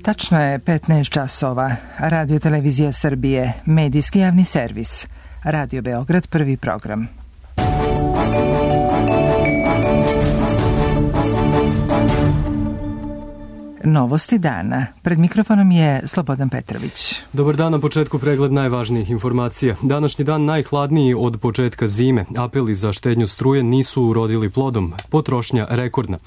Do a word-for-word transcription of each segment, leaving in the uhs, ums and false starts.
Tačno je petnaest časova. Radio Televizija Srbije, medijski javni servis. Radio Beograd, prvi program. Novosti dana. Pred mikrofonom je Slobodan Petrović. Dobar dan, na početku pregled najvažnijih informacija. Današnji dan najhladniji od početka zime. Apeli za štednju struje nisu urodili plodom. Potrošnja rekordna.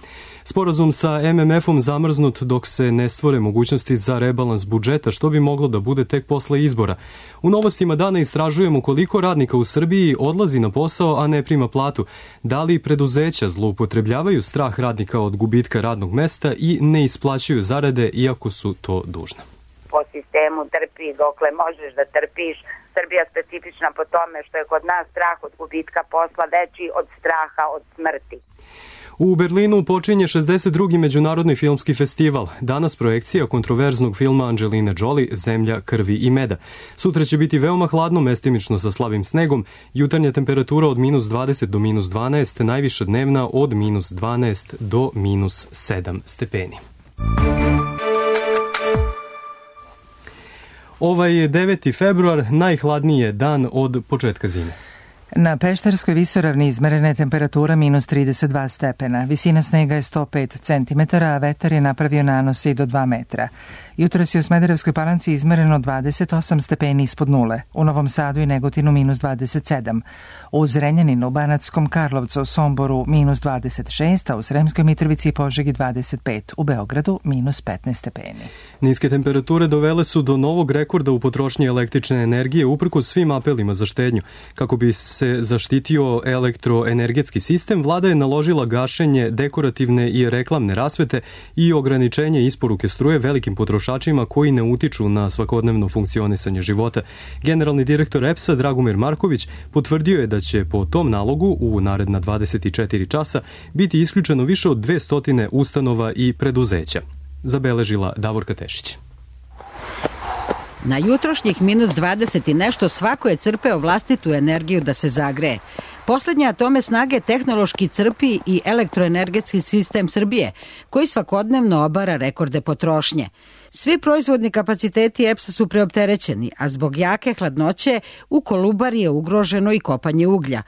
Sporazum sa M M F-om zamrznut dok se ne stvore mogućnosti za rebalans budžeta, što bi moglo da bude tek posle izbora. U novostima dana istražujemo koliko radnika u Srbiji odlazi na posao, a ne prima platu. Da li preduzeća zloupotrebljavaju strah radnika od gubitka radnog mesta i ne isplaćuju zarade, iako su to dužna. Po sistemu trpi dokle možeš da trpiš. Srbija specifična po tome što je kod nas strah od gubitka posla veći od straha od smrti. U Berlinu počinje šezdeset drugi međunarodni filmski festival. Danas projekcija kontroverznog filma Angeline Jolie Zemlja, krvi i meda. Sutra će biti veoma hladno, mestimično sa slabim snegom. Jutarnja temperatura od minus dvadeset do minus dvanaest, najviša dnevna od minus dvanaest do minus sedam stepeni. Ovaj je deveti februar, najhladniji dan od početka zime. Na Pešterskoj visoravni izmerena je temperatura minus trideset dva stepena, visina snega je sto pet centimetara, a vetar je napravio nanose i do dva metra. Jutros je u Smederevskoj Palanci izmereno dvadeset osam stepeni ispod nule, u Novom Sadu i Negotinu minus dvadeset sedam, u Zrenjaninu, Banatskom Karlovcu, Somboru minus dvadeset šest, a u Sremskoj Mitrovici i Požegi dvadeset pet, u Beogradu minus petnaest stepeni. Niske temperature dovele su do novog rekorda u potrošnji električne energije uprkos svim apelima za štednju. Kako bi se zaštitio elektroenergetski sistem, vlada je naložila gašenje dekorativne i reklamne rasvete i ograničenje isporuke struje velikim potrošačima koji ne utiču na svakodnevno funkcionisanje života. Generalni direktor E P S-a Dragomir Marković potvrdio je da će po tom nalogu u naredna dvadeset četiri časa biti isključeno više od dvesta ustanova i preduzeća. Zabeležila Davorka Tešić. Na jutrošnjih minus dvadeset i nešto svako je crpeo vlastitu energiju da se zagreje. Poslednja atome snage tehnološki crpi i elektroenergetski sistem Srbije, koji svakodnevno obara rekorde potrošnje. Svi proizvodni kapaciteti E P S-a su preopterećeni, a zbog jake hladnoće u Kolubari je ugroženo i kopanje uglja.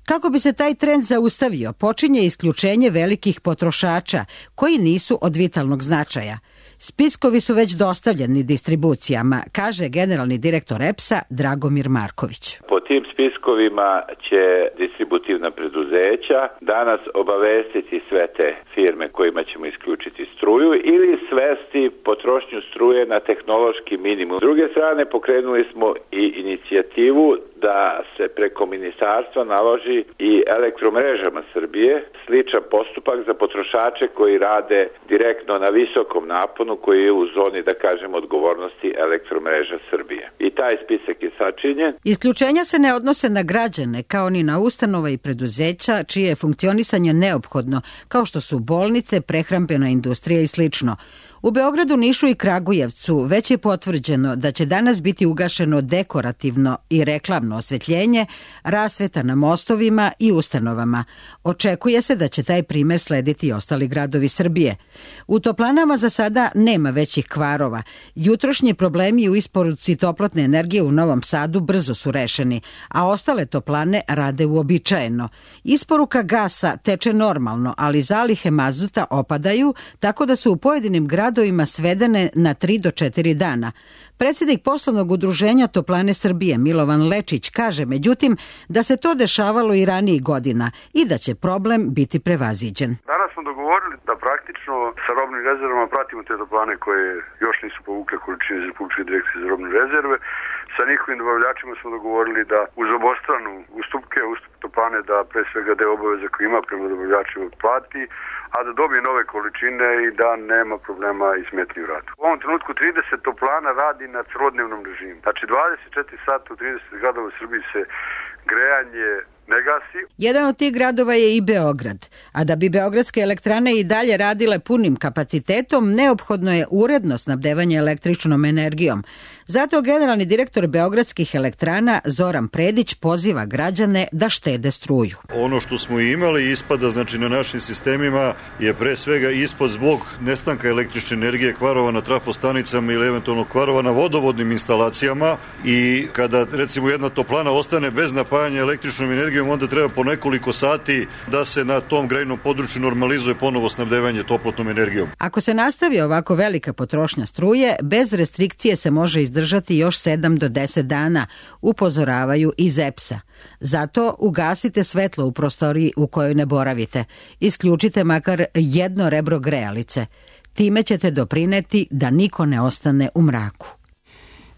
Kako bi se taj trend zaustavio, počinje isključenje velikih potrošača koji nisu od vitalnog značaja. Spiskovi su već dostavljeni distribucijama, kaže generalni direktor E P S-a Dragomir Marković. Po tim spiskovima će distributivna preduzeća danas obavestiti sve te firme kojima ćemo isključiti struju ili svesti potrošnju struje na tehnološki minimum. S druge strane, pokrenuli smo i inicijativu da se preko ministarstva naloži i elektromrežama Srbije sličan postupak za potrošače koji rade direktno na visokom naponu koji je u zoni, da kažem, odgovornosti elektromreža Srbije. I taj spisak je sačinjen. Isključenja se ne odnose na građane, kao ni na ustanova i preduzeća čije je funkcionisanje neophodno, kao što su bolnice, prehrambena industrija i slično. U Beogradu, Nišu i Kragujevcu već je potvrđeno da će danas biti ugašeno dekorativno i reklamno osvetljenje, rasveta na mostovima i ustanovama. Očekuje se da će taj primer slediti i ostali gradovi Srbije. U toplanama za sada nema većih kvarova. Jutrošnji problemi u isporuci toplotne energije u Novom Sadu brzo su rešeni, a ostale toplane rade uobičajeno. Isporuka gasa teče normalno, ali zalihe mazuta opadaju, tako da su u pojedinim gradovima gradovima svedene na tri do četiri dana. Predsjednik poslovnog udruženja Toplane Srbije Milovan Lečić kaže međutim da se to dešavalo i ranijih godina i da će problem biti prevaziđen. Danas smo dogovorili da praktično sa robnim rezervama pratimo te toplane koje još nisu povukle količine iz Republičke direkcije za robne rezerve. Sa njihovim dobavljačima smo dogovorili da uz obostranu ustupke, ustup toplane da pre svega deo obaveza koji ima prema dobavljačima plati, a da dobije nove količine i da nema problema i smetnji u radu. U ovom trenutku trideset toplana radi na trodnevnom režimu. Znači dvadeset četiri sata u trideset gradova u Srbiji se grejanje ne gasi. Jedan od tih gradova je i Beograd, a da bi beogradske elektrane i dalje radile punim kapacitetom, neophodno je uredno snabdevanje električnom energijom. Zato generalni direktor beogradskih elektrana Zoran Predić poziva građane da štede struju. Ono što smo imali ispada, znači na našim sistemima, je pre svega ispad zbog nestanka električne energije, kvarova na trafostanicama ili eventualno kvarova na vodovodnim instalacijama, i kada recimo jedna toplana ostane bez napajanja električnom energijom, onda treba po nekoliko sati da se na tom grejnom području normalizuje ponovo snabdevanje toplotnom energijom. Ako se nastavi ovako velika potrošnja struje, bez restrikcije se može izdržati još sedam do deset dana, upozoravaju iz E P S-a. Zato ugasite svetlo u prostoriji u kojoj ne boravite. Isključite makar jedno rebro grejalice. Time ćete doprineti da niko ne ostane u mraku.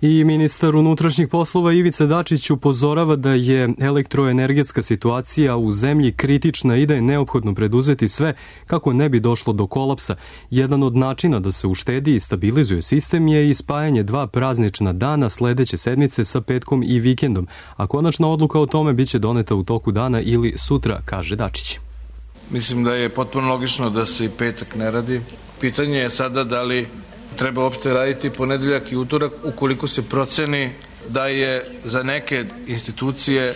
I ministar unutrašnjih poslova Ivica Dačić upozorava da je elektroenergetska situacija u zemlji kritična i da je neophodno preduzeti sve kako ne bi došlo do kolapsa. Jedan od načina da se uštedi i stabilizuje sistem je i spajanje dva praznična dana sledeće sedmice sa petkom i vikendom, a konačna odluka o tome biće doneta u toku dana ili sutra, kaže Dačić. Mislim da je potpuno logično da se i petak ne radi. Pitanje je sada da li treba uopšte raditi ponedeljak i utorak ukoliko se proceni da je za neke institucije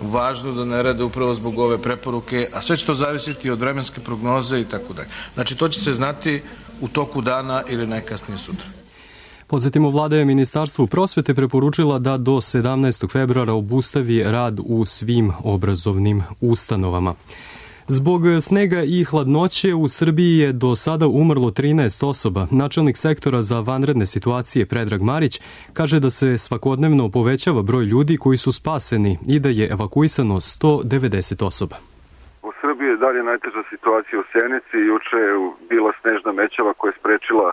važno da ne rade upravo zbog ove preporuke, a sve će to zavisiti od vremenske prognoze i tako dalje. Znači to će se znati u toku dana ili najkasnije sutra. Podsjetimo, vlada je Ministarstvu prosvete preporučila da do sedamnaestog februara obustavi rad u svim obrazovnim ustanovama. Zbog snega i hladnoće u Srbiji je do sada umrlo trinaest osoba. Načelnik sektora za vanredne situacije Predrag Marić kaže da se svakodnevno povećava broj ljudi koji su spaseni i da je evakuisano sto devedeset osoba. U Srbiji je dalje najteža situacija u Sjenici. Juče je bila snežna mećava koja je sprečila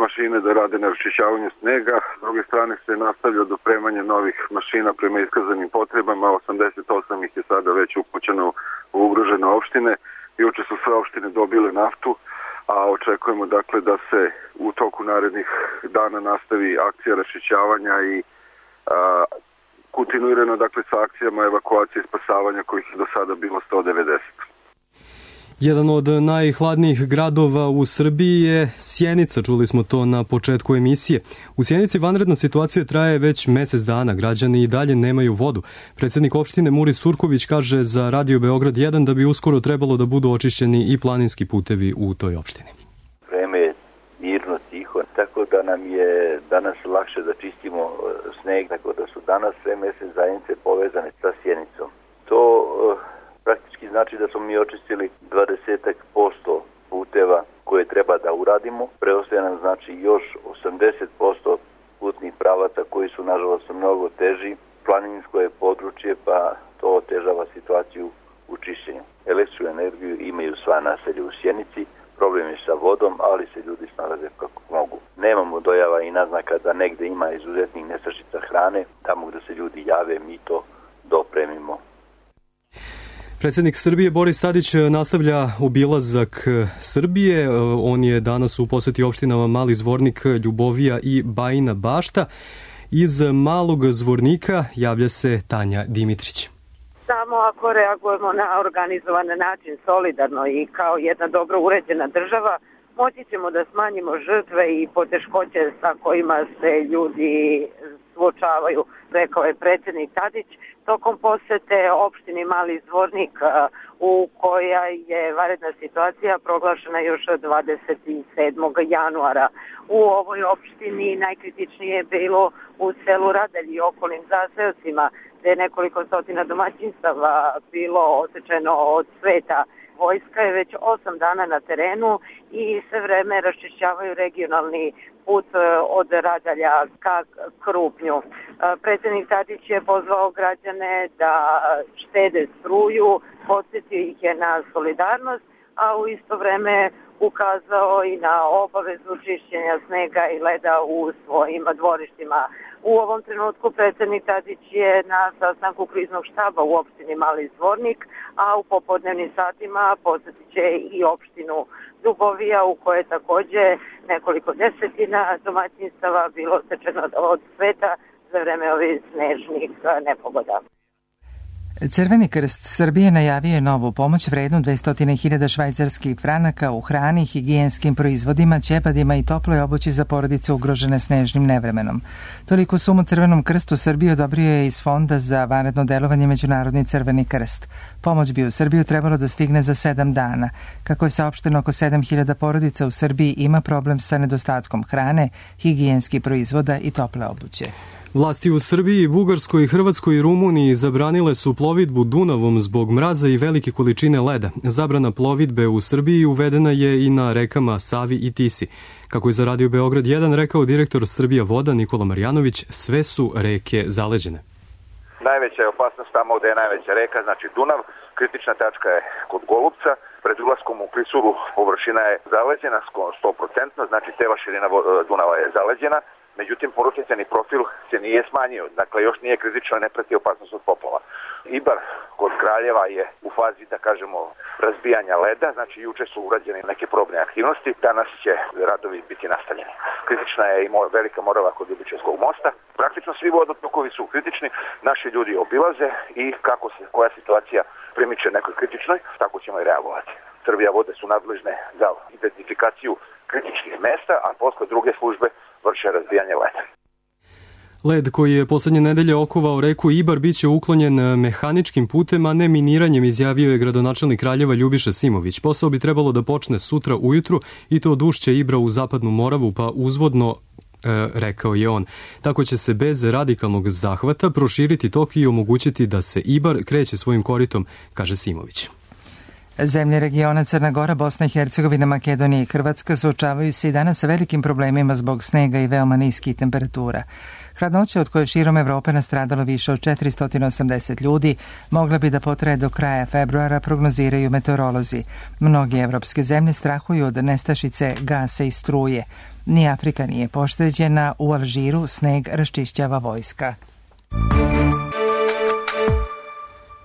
mašine da rade na raščišćavanju snega. S druge strane se nastavlja dopremanje novih mašina prema iskazanim potrebama. osamdeset osam ih je sada već upućeno u ugrožene opštine. Juče su sve opštine dobile naftu, a očekujemo dakle da se u toku narednih dana nastavi akcija raščišćavanja i a, kontinuirano dakle sa akcijama evakuacije i spasavanja kojih je do sada bilo sto devedeset. Jedan od najhladnijih gradova u Srbiji je Sjenica, čuli smo to na početku emisije. U Sjenici vanredna situacija traje već mesec dana, građani i dalje nemaju vodu. Predsjednik opštine Muris Turković kaže za Radio Beograd jedan da bi uskoro trebalo da budu očišćeni i planinski putevi u toj opštini. Vreme je mirno, tiho, tako da nam je danas lakše da čistimo sneg, tako da su danas sve mesne zajednice povezane sa Sjenicom. To praktički znači da smo mi očistili dvadeset posto puteva koje treba da uradimo. Preostaje nam znači još osamdeset posto putnih pravaca koji su nažalost mnogo teži. Planinsko je područje pa to otežava situaciju u čišćenju. Električnu energiju imaju sva naselja u Sjenici. Problem je sa vodom, ali se ljudi snalaze kako mogu. Nemamo dojava i naznaka da negde ima izuzetnih nestašica hrane. Tamo gde se ljudi jave mi to dopremimo. Predsjednik Srbije Boris Tadić nastavlja obilazak Srbije. On je danas u poseti opštinama Mali Zvornik, Ljubovija i Bajina Bašta. Iz Malog Zvornika javlja se Tanja Dimitrić. Samo ako reagujemo na organizovan način, solidarno i kao jedna dobro uređena država, moći ćemo da smanjimo žrtve i poteškoće sa kojima se ljudi suočavaju, rekao je predsjednik Tadić, tokom posete opštini Mali Zvornik u koja je vanredna situacija proglašena još dvadeset sedmog januara. U ovoj opštini najkritičnije je bilo u selu Radelj i okolnim zaseocima, gde je nekoliko stotina domaćinstava bilo osečeno od sveta. Vojska je već osam dana na terenu i sve vreme raščišćavaju regionalni put od Radalja ka Krupnju. Predsjednik Tadić je pozvao građane da štede struju, podsjetio ih je na solidarnost, a u isto vreme ukazao i na obavezu čišćenja snega i leda u svojim dvorištima. U ovom trenutku predsjednik Tadić je na sastanku kriznog štaba u opštini Mali Zvornik, a u popodnevnim satima posjetit će i opštinu Ljubovija u kojoj je također nekoliko desetina domaćinstava bilo stečeno od sveta za vreme ovih snežnih nepogoda. Crveni krst Srbije najavio je novu pomoć vrednu dvesta hiljada švajcarskih franaka u hrani, higijenskim proizvodima, ćepadima i toploj obući za porodice ugrožene snežnim nevremenom. Toliko sumu Crvenom krstu Srbije odobrio je iz Fonda za vanredno delovanje Međunarodni Crveni krst. Pomoć bi u Srbiju trebalo da stigne za sedam dana. Kako je saopšteno, oko sedam hiljada porodica u Srbiji ima problem sa nedostatkom hrane, higijenskih proizvoda i tople obuće. Vlasti u Srbiji, Bugarskoj, Hrvatskoj i Rumuniji zabranile su plovidbu Dunavom zbog mraza i velike količine leda. Zabrana plovidbe u Srbiji uvedena je i na rekama Savi i Tisi. Kako je za Radio Beograd jedan rekao direktor Srbija voda Nikola Marjanović, sve su reke zaleđene. Najveća je opasnost tamo gde je najveća reka, znači Dunav. Kritična tačka je kod Golubca. Pred ulaskom u Klisuru površina je zaleđena sto procenti, znači cela širina Dunava je zaleđena. Međutim, porušniceni profil se nije smanjio, dakle još nije kritično, ne preti opasnost od poplava. Ibar kod Kraljeva je u fazi, da kažemo, razbijanja leda, znači juče su urađene neke probne aktivnosti, danas će radovi biti nastavljeni. Kritična je i Velika Morava kod Ljubičevskog mosta. Praktično svi vodotokovi su kritični, naši ljudi obilaze i kako se koja situacija primiče nekoj kritičnoj, tako ćemo i reagovati. Srbija vode su nadležne za identifikaciju kritičnih mesta, a posle druge službe vrše razbijanje leda. Led koji je poslednje nedelje okovao reku Ibar biće uklonjen mehaničkim putem, a ne miniranjem, izjavio je gradonačelnik Kraljeva Ljubiša Simović. Posao bi trebalo da počne sutra ujutru i to od ušća Ibra u zapadnu Moravu, pa uzvodno, e, rekao je on. Tako će se bez radikalnog zahvata proširiti tok i omogućiti da se Ibar kreće svojim koritom, kaže Simović. Zemlje regiona Crna Gora, Bosna i Hercegovina, Makedonija i Hrvatska suočavaju se i danas sa velikim problemima zbog snega i veoma niskih temperatura. Hladnoća od koje širom Evrope nastradalo više od četiristo osamdeset ljudi mogla bi da potraje do kraja februara, prognoziraju meteorolozi. Mnoge evropske zemlje strahuju od nestašice gasa i struje. Ni Afrika nije pošteđena, u Alžiru sneg raščišćava vojska.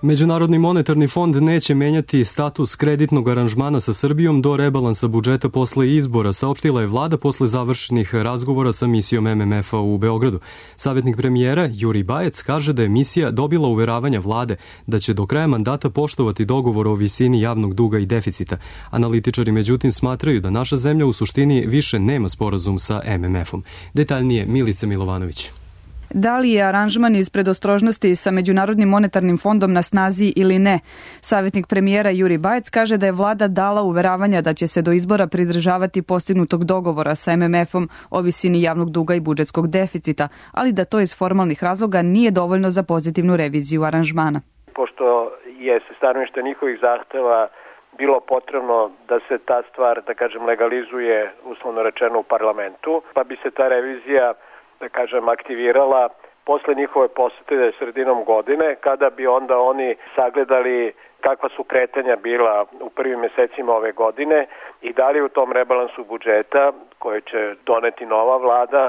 Međunarodni monetarni fond neće menjati status kreditnog aranžmana sa Srbijom do rebalansa budžeta posle izbora, saopštila je vlada posle završenih razgovora sa misijom M M F-a u Beogradu. Savjetnik premijera Juri Bajec kaže da je misija dobila uveravanja vlade da će do kraja mandata poštovati dogovor o visini javnog duga i deficita. Analitičari međutim smatraju da naša zemlja u suštini više nema sporazum sa M M F-om. Detaljnije Milica Milovanović. Da li je aranžman iz predostrožnosti sa Međunarodnim monetarnim fondom na snazi ili ne? Savjetnik premijera Juri Bajec kaže da je vlada dala uveravanja da će se do izbora pridržavati postignutog dogovora sa M M F-om o visini javnog duga i budžetskog deficita, ali da to iz formalnih razloga nije dovoljno za pozitivnu reviziju aranžmana. Pošto je se stanovište njihovih zahteva bilo potrebno da se ta stvar, da kažem, legalizuje, uslovno rečeno, u parlamentu, pa bi se ta revizija, da kažem, aktivirala posle njihove posete sredinom godine, kada bi onda oni sagledali kakva su kretanja bila u prvim mesecima ove godine i da li u tom rebalansu budžeta, koje će doneti nova vlada,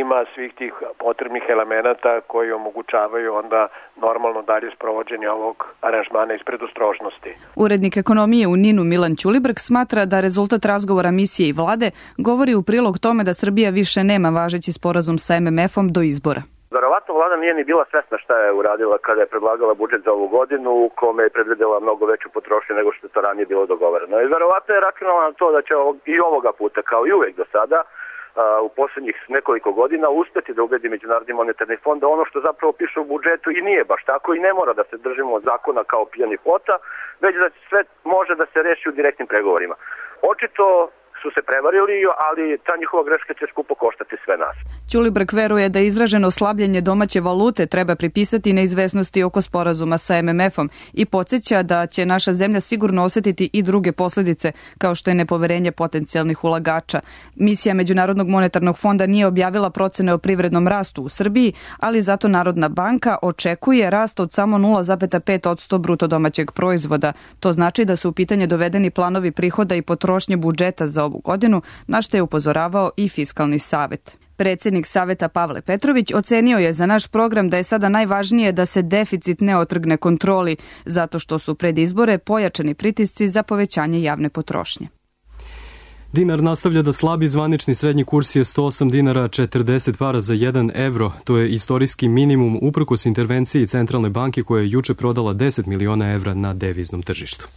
ima svih tih potrebnih elemenata koji omogućavaju onda normalno dalje sprovođenje ovog aranžmana iz predostrožnosti. Urednik ekonomije u Ninu Milan Ćulibrk smatra da rezultat razgovora misije i vlade govori u prilog tome da Srbija više nema važeći sporazum sa M M F-om do izbora. Verovatno vlada nije ni bila svesna šta je uradila kada je predlagala budžet za ovu godinu, u kome je predvidela mnogo veću potrošnju nego što je to ranije bilo dogovoreno. I verovatno je računala na to da će i ovoga puta, kao i uvek do sada, u poslednjih nekoliko godina uspeti da ubedi Međunarodni monetarni fond da ono što zapravo piše u budžetu i nije baš tako i ne mora da se držimo zakona kao pijani plota, već da sve može da se reši u direktnim pregovorima. Očito su se prevarili, ali ta njihova greška će skupo koštati sve nas. Ćulibrk veruje da izraženo slabljenje domaće valute treba pripisati neizvesnosti oko sporazuma sa M M F-om i podsjeća da će naša zemlja sigurno osetiti i druge posledice, kao što je nepoverenje potencijalnih ulagača. Misija Međunarodnog monetarnog fonda nije objavila procene o privrednom rastu u Srbiji, ali zato Narodna banka očekuje rast od samo nula zarez pet posto bruto domaćeg proizvoda. To znači da su u pitanje dovedeni planovi prihoda i potrošnje budžeta za ovu godinu, na što je upozoravao i Fiskalni savet. Predsjednik Saveta Pavle Petrović ocenio je za naš program da je sada najvažnije da se deficit ne otrgne kontroli, zato što su pred izbore pojačani pritisci za povećanje javne potrošnje. Dinar nastavlja da slabi, zvanični srednji kurs je sto osam dinara četrdeset para za jedan evro. To je istorijski minimum uprkos intervenciji Centralne banke koja je juče prodala deset miliona evra na deviznom tržištu.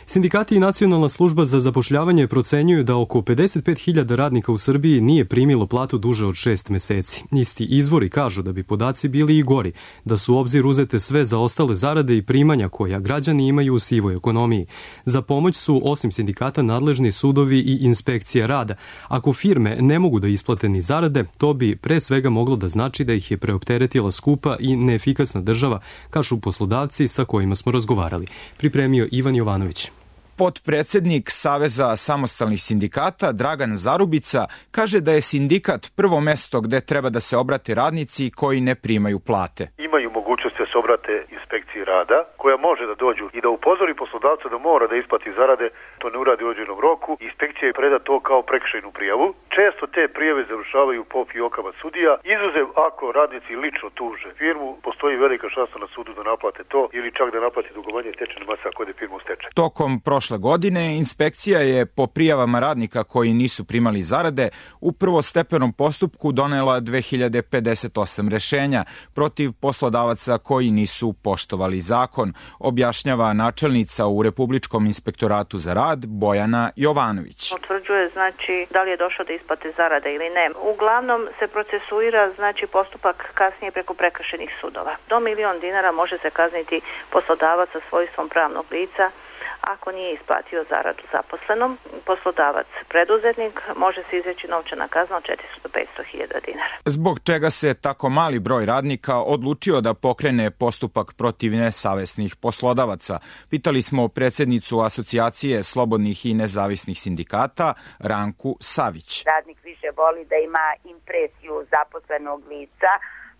Sindikati i Nacionalna služba za zapošljavanje procenjuju da oko pedeset pet hiljada radnika u Srbiji nije primilo platu duže od šest meseci. Isti izvori kažu da bi podaci bili i gori, da su u obzir uzete sve zaostale zarade i primanja koja građani imaju u sivoj ekonomiji. Za pomoć su, osim sindikata, nadležni sudovi i inspekcija rada. Ako firme ne mogu da isplate ni zarade, to bi pre svega moglo da znači da ih je preopteretila skupa i neefikasna država, kažu poslodavci sa kojima smo razgovarali. Pripremio Ivan Jovanović. Potpredsednik Saveza samostalnih sindikata Dragan Zarubica kaže da je sindikat prvo mesto gde treba da se obrate radnici koji ne primaju plate. Imaju mogućnost da se obrate inspekciji rada, koja može da dođu i da upozori poslodavca da mora da isplati zarade, to ne uradi u određenom roku. Inspekcija je preda to kao prekršajnu prijavu. Često te prijave završavaju po fijokama sudija. Izuzev ako radnici lično tuže firmu, postoji velika šansa na sudu da naplate to ili čak da naplate dugovanje stečajne mase ako ode firma u stečaj. Tokom prošle godine inspekcija je po prijavama radnika koji nisu primali zarade u prvostepenom postupku donela dve hiljade pedeset osam rešenja protiv poslodavaca koji nisu poštovali zakon, objašnjava načelnica u Republičkom inspektoratu za rad Bojana Jovanović. Utvrđuje znači da li je došlo do isplate zarade ili ne. Uglavnom se procesuira znači postupak kasnije preko prekršajnih sudova. Do milion dinara može se kazniti poslodavac sa svojstvom pravnog lica ako nije isplatio zaradu zaposlenom. Poslodavac preduzetnik može se izreći novčana kazna od četiristo do petsto hiljada dinara. Zbog čega se tako mali broj radnika odlučio da pokrene postupak protiv nesavesnih poslodavaca? Pitali smo predsjednicu Asocijacije slobodnih i nezavisnih sindikata Ranku Savić. Radnik više voli da ima impresiju zaposlenog lica.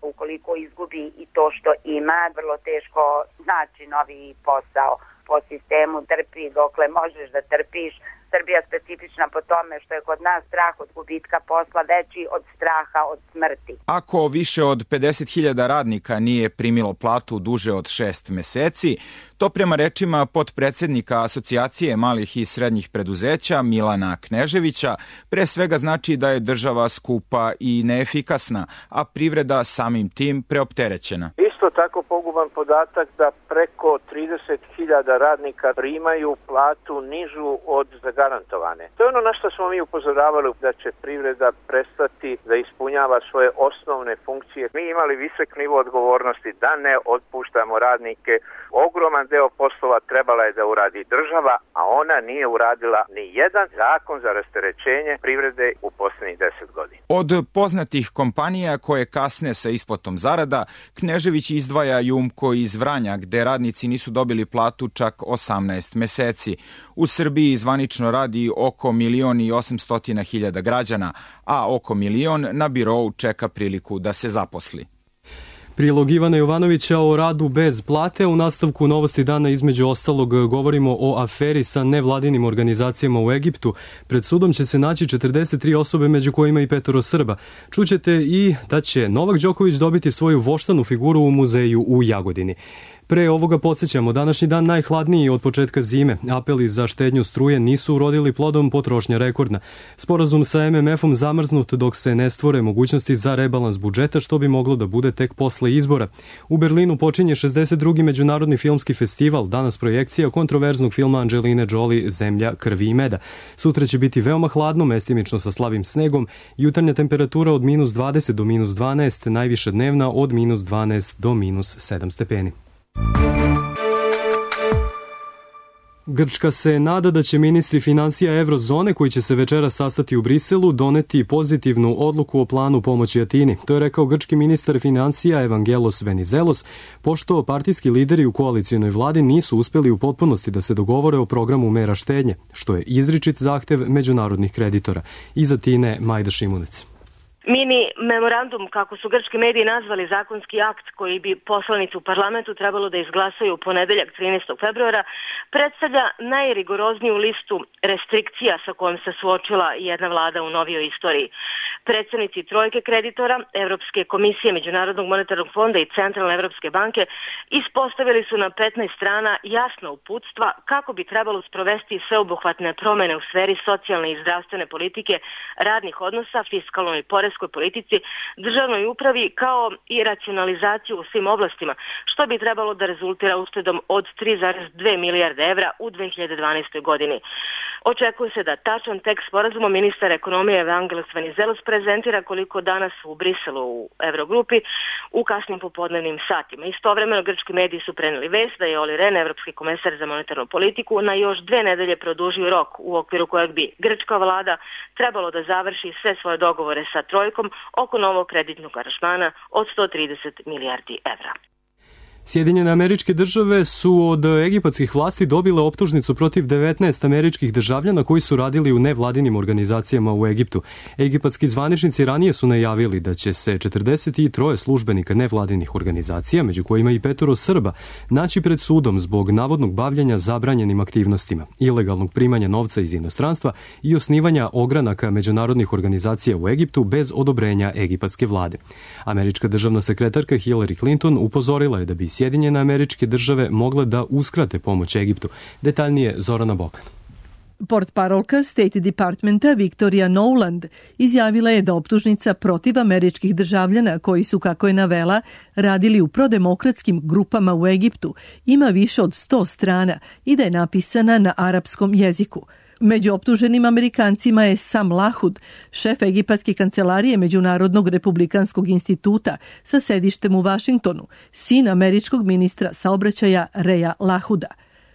Ukoliko izgubi i to što ima, vrlo teško znači novi posao. Po sistemu trpi dokle možeš da trpiš. Srbija specifična po tome što je kod nas strah od gubitka posla veći od straha od smrti. Ako više od pedeset hiljada radnika nije primilo platu duže od šest meseci, to prema rečima potpredsednika Asocijacije malih i srednjih preduzeća Milana Kneževića pre svega znači da je država skupa i neefikasna, a privreda samim tim preopterećena. Isto tako poguban podatak da preko trideset hiljada radnika primaju platu nižu od zagarantovane. To je ono na što smo mi upozoravali, da će privreda prestati da ispunjava svoje osnovne funkcije. Mi imali visok nivo odgovornosti da ne otpuštamo radnike. Ogroman deo poslova trebala je da uradi država, a ona nije uradila ni jedan zakon za rasterećenje privrede u poslednjih deset godina. Od poznatih kompanija koje kasne sa isplatom zarada, Knežević izdvaja Jumko iz Vranja, gde radnici nisu dobili platu čak osamnaest meseci. U Srbiji zvanično radi oko milion i osamstotina hiljada građana, a oko milion na birou čeka priliku da se zaposli. Prilog Ivana Jovanovića o radu bez plate. U nastavku Novosti dana između ostalog govorimo o aferi sa nevladinim organizacijama u Egiptu. Pred sudom će se naći četrdeset tri osobe, među kojima i petoro Srba. Čućete i da će Novak Đoković dobiti svoju voštanu figuru u muzeju u Jagodini. Pre ovoga podsjećamo, današnji dan najhladniji od početka zime. Apeli za štednju struje nisu urodili plodom, potrošnja rekordna. Sporazum sa em em efom zamrznut dok se ne stvore mogućnosti za rebalans budžeta, što bi moglo da bude tek posle izbora. U Berlinu počinje šezdeset drugi Međunarodni filmski festival, danas projekcija kontroverznog filma Angeline Jolie Zemlja, krvi i meda. Sutra će biti veoma hladno, mestimično sa slabim snegom, jutarnja temperatura od minus dvadeset do minus dvanaest, najviša dnevna od minus dvanaest do minus sedam stepeni. Grčka se nada da će ministri finansija Evrozone, koji će se večeras sastati u Briselu, doneti pozitivnu odluku o planu pomoći Atini. To je rekao grčki ministar finansija Evangelos Venizelos, pošto partijski lideri u koalicionoj vladi nisu uspeli u potpunosti da se dogovore o programu mera štednje, što je izričit zahtev međunarodnih kreditora. Iz Atine Majda Šimunec. Mini memorandum, kako su grčki mediji nazvali zakonski akt koji bi poslanici u parlamentu trebalo da izglasaju u ponedeljak trinaestog februara, predstavlja najrigorozniju listu restrikcija sa kojom se suočila jedna vlada u novijoj istoriji. Predstavnici trojke kreditora, Evropske komisije, Međunarodnog monetarnog fonda i Centralne Evropske banke ispostavili su na petnaest strana jasna uputstva kako bi trebalo sprovesti sveobuhvatne promene u sferi socijalne i zdravstvene politike, radnih odnosa, fiskalnoj i poreskoj politici, državnoj upravi kao i racionalizaciju u svim oblastima, što bi trebalo da rezultira uštedom od tri zarez dve milijarde evra u dve hiljade dvanaestoj godini. Očekuje se da tačan tekst sporazuma ministar ekonomije Evangelos Venizelos prezentira koliko danas u Briselu u Evrogrupi u kasnim popodnevnim satima. Istovremeno grčki mediji su preneli vest da je Olli Rehn, evropski komesar za monetarnu politiku, na još dve nedelje produžio rok u okviru kojeg bi grčka vlada trebalo da završi sve svoje dogovore sa trojkom oko novog kreditnog aranžmana od sto trideset milijardi evra. Sjedinjene Američke Države su od egipatskih vlasti dobile optužnicu protiv devetnaest američkih državljana koji su radili u nevladinim organizacijama u Egiptu. Egipatski zvaničnici ranije su najavili da će se četrdeset tri službenika nevladinih organizacija, među kojima i petoro Srba, naći pred sudom zbog navodnog bavljenja zabranjenim aktivnostima, ilegalnog primanja novca iz inostranstva i osnivanja ogranaka međunarodnih organizacija u Egiptu bez odobrenja egipatske vlade. Američka državna sekretarka Hillary Clinton upozorila je da bi Sjedinjene Američke Države mogle da uskrate pomoć Egiptu. Detaljnije Zorana Bokan. Portparolka State Departmenta Victoria Nowland izjavila je da optužnica protiv američkih državljana koji su, kako je navela, radili u prodemokratskim grupama u Egiptu ima više od sto strana i da je napisana na arapskom jeziku. Među optuženim Amerikancima je Sam Lahud, šef egipatske kancelarije Međunarodnog republikanskog instituta sa sedištem u Vašingtonu, sin američkog ministra saobraćaja Reja Lahuda.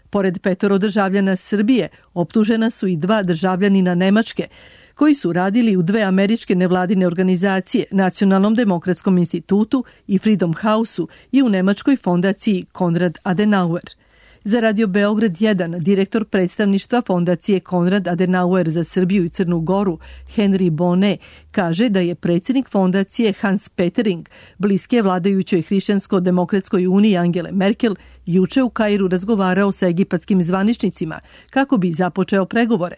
Pored petoro državljana Srbije, optužena su i dva državljanina Nemačke, koji su radili u dve američke nevladine organizacije, Nacionalnom demokratskom institutu i Freedom House-u i u nemačkoj fondaciji Konrad Adenauer. Za Radio Beograd jedan, direktor predstavništva fondacije Konrad Adenauer za Srbiju i Crnu Goru, Henry Bonnet, kaže da je predsjednik fondacije Hans Petering, bliske vladajućoj Hrišćansko-demokratskoj uniji Angele Merkel, juče u Kairu razgovarao sa egipatskim zvaničnicima kako bi započeo pregovore.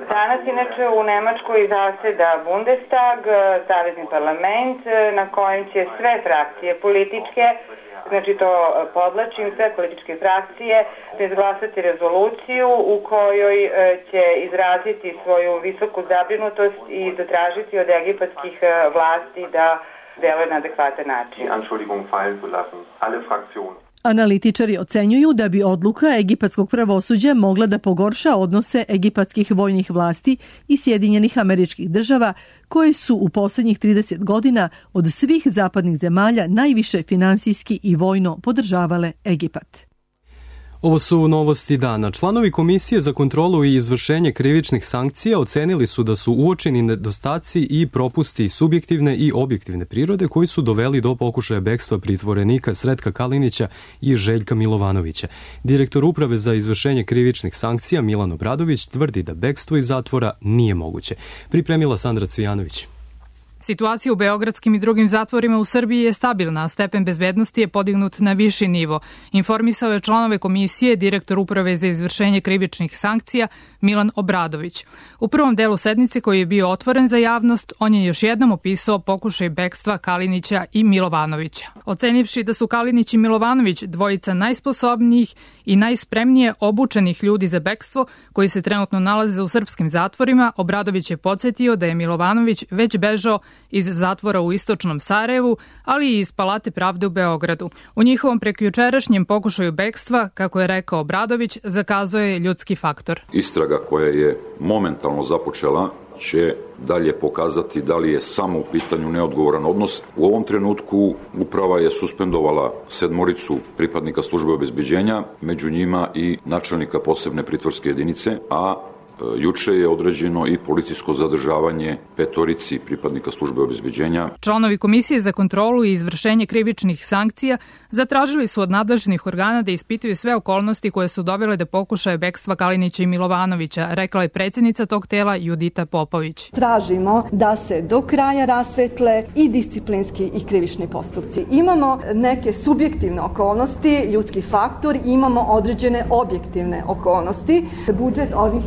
Danas inače u Nemačkoj zaseda Bundestag, savezni parlament, na kojem će sve frakcije političke, znači to podlačim, sve političke frakcije izglasati rezoluciju u kojoj će izraziti svoju visoku zabrinutost i zatražiti od egipatskih vlasti da deluje na adekvatan način. Analitičari ocenjuju da bi odluka egipatskog pravosuđa mogla da pogorša odnose egipatskih vojnih vlasti i Sjedinjenih Američkih Država, koje su u posljednjih trideset godina od svih zapadnih zemalja najviše finansijski i vojno podržavale Egipat. Ovo su novosti dana. Članovi Komisije za kontrolu i izvršenje krivičnih sankcija ocenili su da su uočeni nedostaci i propusti subjektivne i objektivne prirode koji su doveli do pokušaja bekstva pritvorenika Sretka Kalinića i Željka Milovanovića. Direktor Uprave za izvršenje krivičnih sankcija Milan Obradović tvrdi da bekstvo iz zatvora nije moguće. Pripremila Sandra Cvijanović. Situacija u beogradskim i drugim zatvorima u Srbiji je stabilna, a stepen bezbednosti je podignut na viši nivo. Informisao je članove komisije direktor Uprave za izvršenje krivičnih sankcija Milan Obradović. U prvom delu sednice koji je bio otvoren za javnost, on je još jednom opisao pokušaj bekstva Kalinića i Milovanovića. Ocenivši da su Kalinić i Milovanović dvojica najsposobnijih i najspremnije obučenih ljudi za bekstvo koji se trenutno nalaze u srpskim zatvorima, Obradović je podsjetio da je Milovanović već bežao iz zatvora u istočnom Sarajevu, ali i iz Palate pravde u Beogradu. U njihovom prekjučerašnjem pokušaju bekstva, kako je rekao Obradović, zakazao je ljudski faktor. Istraga koja je momentalno započela će dalje pokazati da li je samo u pitanju neodgovoran odnos. U ovom trenutku uprava je suspendovala sedmoricu pripadnika službe obezbeđenja, među njima i načelnika posebne pritvorske jedinice, a Juče je određeno i policijsko zadržavanje petorici pripadnika službe obezbeđenja. Članovi Komisije za kontrolu i izvršenje krivičnih sankcija zatražili su od nadležnih organa da ispituju sve okolnosti koje su dovele do pokušaja bekstva Kalinića i Milovanovića, rekla je predsjednica tog tela Judita Popović. Tražimo da se do kraja rasvetle i disciplinski i krivični postupci. Imamo neke subjektivne okolnosti, ljudski faktor, imamo određene objektivne okolnosti. Budžet ovih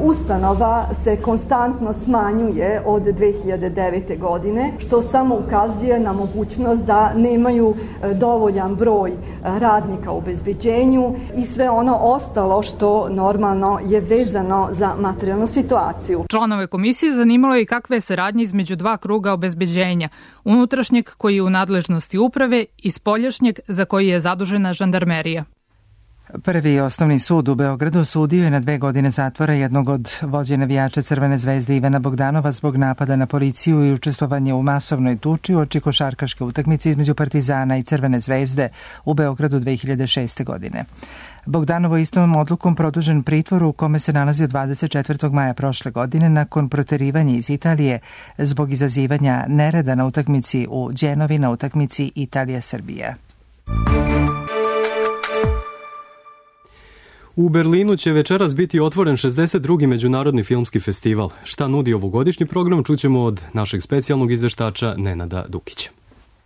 ustanova se konstantno smanjuje od dve hiljade devete. godine, što samo ukazuje na mogućnost da nemaju dovoljan broj radnika u obezbeđenju i sve ono ostalo što normalno je vezano za materijalnu situaciju. Članove komisije zanimalo je i kakve je saradnje između dva kruga obezbeđenja, unutrašnjeg koji je u nadležnosti uprave i spoljašnjeg za koji je zadužena žandarmerija. Prvi osnovni sud u Beogradu osudio je na dve godine zatvora jednog od vođe navijača Crvene zvezde Ivana Bogdanova zbog napada na policiju i učestvovanje u masovnoj tuči uoči košarkaške utakmice između Partizana i Crvene zvezde u Beogradu dve hiljade šeste. godine. Bogdanovo je istom odlukom produžen pritvor u kome se nalazi od dvadeset četvrtog maja prošle godine nakon proterivanja iz Italije zbog izazivanja nereda na utakmici u Đenovi na utakmici Italija-Srbija. U Berlinu će večeras biti otvoren šezdeset drugi međunarodni filmski festival. Šta nudi ovogodišnji program, čućemo od našeg specijalnog izveštača Nenada Dukića.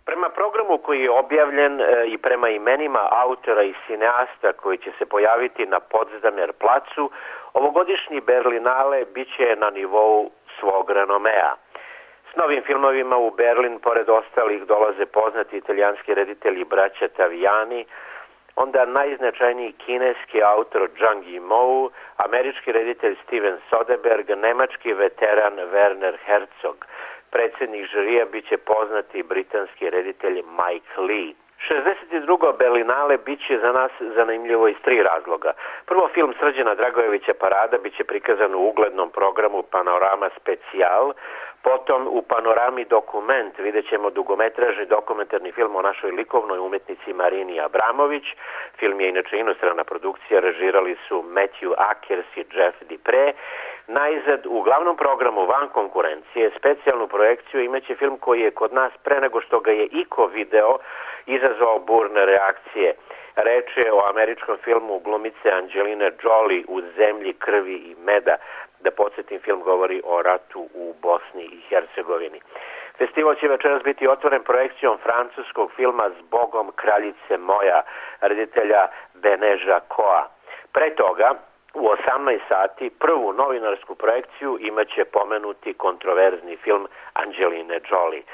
Prema programu koji je objavljen i prema imenima autora i cineasta koji će se pojaviti na Potsdamer placu, ovogodišnji Berlinale biće na nivou svog renomea. S novim filmovima u Berlin, pored ostalih, dolaze poznati italijanski reditelji braća Taviani, onda najznačajniji kineski autor Zhang Yimou, američki reditelj Steven Soderbergh, nemački veteran Werner Herzog. Predsjednik žirija biće poznati britanski reditelj Mike Lee. šezdeset drugo Berlinale biće za nas zanimljivo iz tri razloga. Prvo, film Srđana Dragojevića Parada biće prikazan u uglednom programu Panorama Specijal. Potom u Panorami Dokument vidjet ćemo dugometražni dokumentarni film o našoj likovnoj umetnici Marini Abramović. Film je inače inostrana produkcija, režirali su Matthew Akers i Jeff Dipre. Najzad, u glavnom programu van konkurencije, specijalnu projekciju imaće film koji je kod nas pre nego što ga je iko video izazvao burne reakcije. Reč je o američkom filmu glumice Angeline Jolie U zemlji krvi i meda. Da podsjetim, film govori o ratu u Bosni i Hercegovini. Festival će večeras biti otvoren projekcijom francuskog filma Zbogom kraljice moja, reditelja Beneža Koa. Pre toga, u osamnaest sati, prvu novinarsku projekciju imaće pomenuti kontroverzni film Angeline Jolie.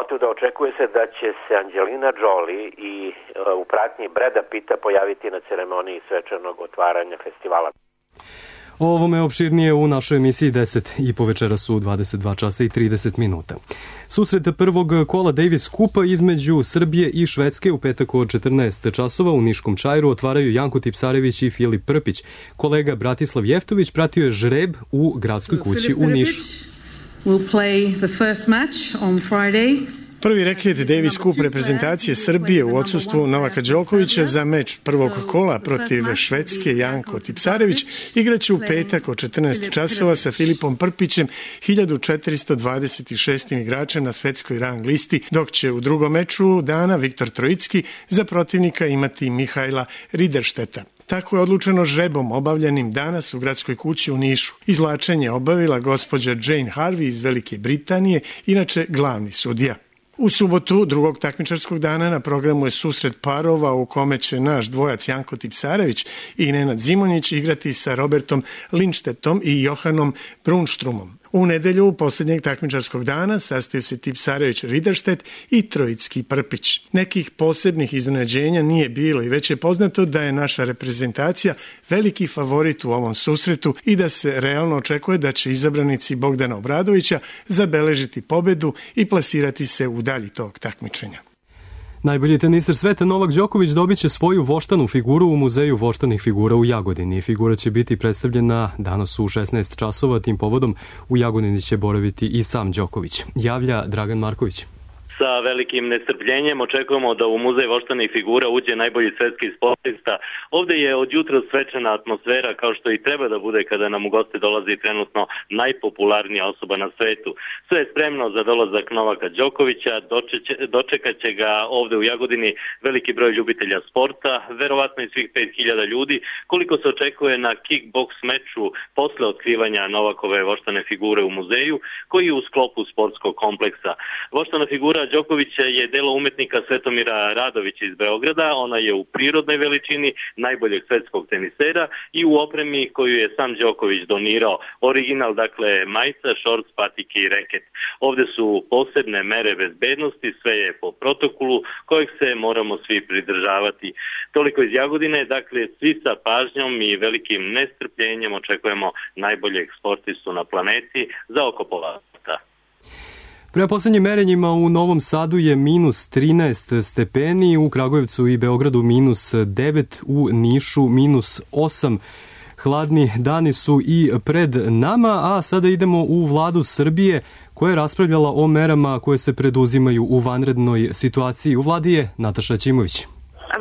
Otuda očekuje se da će se Angelina Jolie i e, u pratnji Breda Pitta pojaviti na ceremoniji svečanog otvaranja festivala. O ovome opširnije u našoj emisiji deset i po večeras u dvadeset dva časa i trideset minuta. Susret prvog kola Davis Kupa između Srbije i Švedske u petak od četrnaest časova u Niškom Čajru otvaraju Janko Tipsarević i Filip Prpić. Kolega Bratislav Jeftović pratio je žreb u gradskoj kući u Nišu. Will play the first match on Friday. Prvi reket Davis Cup reprezentacije Srbije u odsustvu Novaka Đokovića za meč prvog kola protiv Švedske Janko Tipsarević igraće u petak od četrnaest časova sa Filipom Prpićem, hiljadu četiristo dvadeset šestim igračem na svetskoj rang listi, dok će u drugom meču dana Viktor Trojicki za protivnika imati Mihajla Rideršteta. Tako je odlučeno žrebom obavljenim danas u gradskoj kući u Nišu. Izvlačenje obavila gospođa Jane Harvey iz Velike Britanije, inače glavni sudija. U subotu, drugog takmičarskog dana, na programu je susret parova u kome će naš dvojac Janko Tipsarević i Nenad Zimonjić igrati sa Robertom Lindštetom i Johanom Brunštrumom. U nedelju posljednjeg takmičarskog dana sastaju se Tipsarević Riderštet i Trojicki Prpić. Nekih posebnih iznenađenja nije bilo i već je poznato da je naša reprezentacija veliki favorit u ovom susretu i da se realno očekuje da će izabranici Bogdana Obradovića zabeležiti pobedu i plasirati se u dalji tog takmičenja. Najbolji teniser sveta Novak Đoković dobit će svoju voštanu figuru u Muzeju voštanih figura u Jagodini. Figura će biti predstavljena danas u šesnaest časova. Tim povodom u Jagodini će boraviti i sam Đoković. Javlja Dragan Marković. Sa velikim nestrpljenjem očekujemo da u Muzej voštanih figura uđe najbolji svetski sportista. Ovde je od jutra svečana atmosfera, kao što i treba da bude kada nam u goste dolazi trenutno najpopularnija osoba na svetu. Sve je spremno za dolazak Novaka Đokovića, dočekat će ga ovde u Jagodini veliki broj ljubitelja sporta, verovatno i svih pet hiljada ljudi, koliko se očekuje na kickboks meču posle otkrivanja Novakove voštane figure u muzeju, koji je u sklopu sportskog kompleksa. Voštana figura Đokovića je delo umetnika Svetomira Radovića iz Beograda, ona je u prirodnoj veličini najboljeg svetskog tenisera i u opremi koju je sam Đoković donirao. Original, dakle, majica, šorc, patike i reket. Ovde su posebne mere bezbednosti, sve je po protokolu kojeg se moramo svi pridržavati. Toliko iz Jagodine, dakle, svi sa pažnjom i velikim nestrpljenjem očekujemo najboljeg sportistu na planeti za oko pola sata. Prema poslednjim merenjima u Novom Sadu je minus trinaest stepeni, u Kragujevcu i Beogradu minus devet, u Nišu minus osam. Hladni dani su i pred nama, a sada idemo u Vladu Srbije koja je raspravljala o merama koje se preduzimaju u vanrednoj situaciji. U vladi je Nataša Ćimović.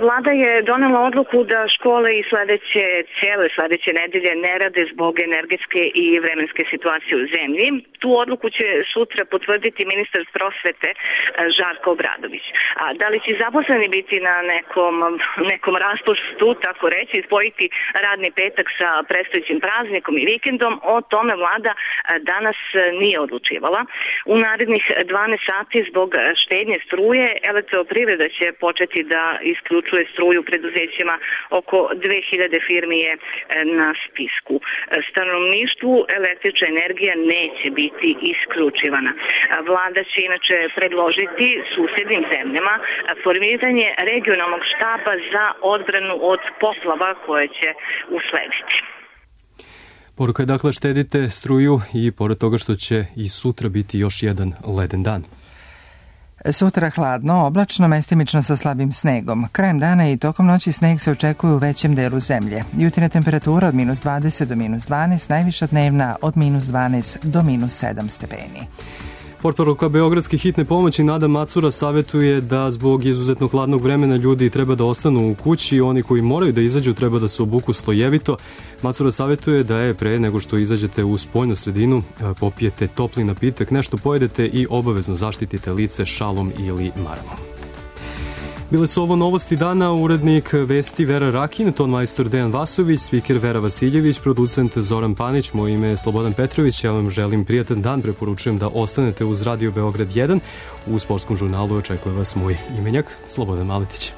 Vlada je donela odluku da škole i sledeće, cijele sledeće nedelje ne rade zbog energetske i vremenske situacije u zemlji. Tu odluku će sutra potvrditi ministar prosvete Žarko Obradović. A da li će zaposleni biti na nekom, nekom raspustu, tako reći, spojiti radni petak sa predstojećim praznikom i vikendom, o tome vlada danas nije odlučivala. U narednih dvanaest sati zbog štednje struje Elektroprivreda će početi da isključuje struju preduzećima, oko dve hiljade firmi je na spisku. Stanovništvu električna energija neće biti isključivana. Vlada će inače predložiti susednim zemljama formiranje regionalnog štaba za odbranu od poplava koje će uslediti. Poruka je dakle štedite struju i pored toga što će i sutra biti još jedan leden dan. Sutra hladno, oblačno, mestimično sa slabim snegom. Krajem dana i tokom noći sneg se očekuje u većem delu zemlje. Jutarnja temperatura od minus dvadeset do minus dvanaest, najviša dnevna od minus dvanaest do minus sedam stepeni. Portparolka Beogradske hitne pomoći Nada Macura savjetuje da zbog izuzetno hladnog vremena ljudi treba da ostanu u kući, oni koji moraju da izađu treba da se obuku slojevito. Macura savjetuje da je pre nego što izađete u spoljnu sredinu popijete topli napitak, nešto pojedete i obavezno zaštitite lice šalom ili maramom. Bile su ovo novosti dana, urednik vesti Vera Rakin, ton majstor Dejan Vasović, spiker Vera Vasiljević, producent Zoran Panić, moje ime je Slobodan Petrović, ja vam želim prijatan dan, preporučujem da ostanete uz Radio Beograd jedan, u sportskom žurnalu očekuje vas moj imenjak Slobodan Maletić.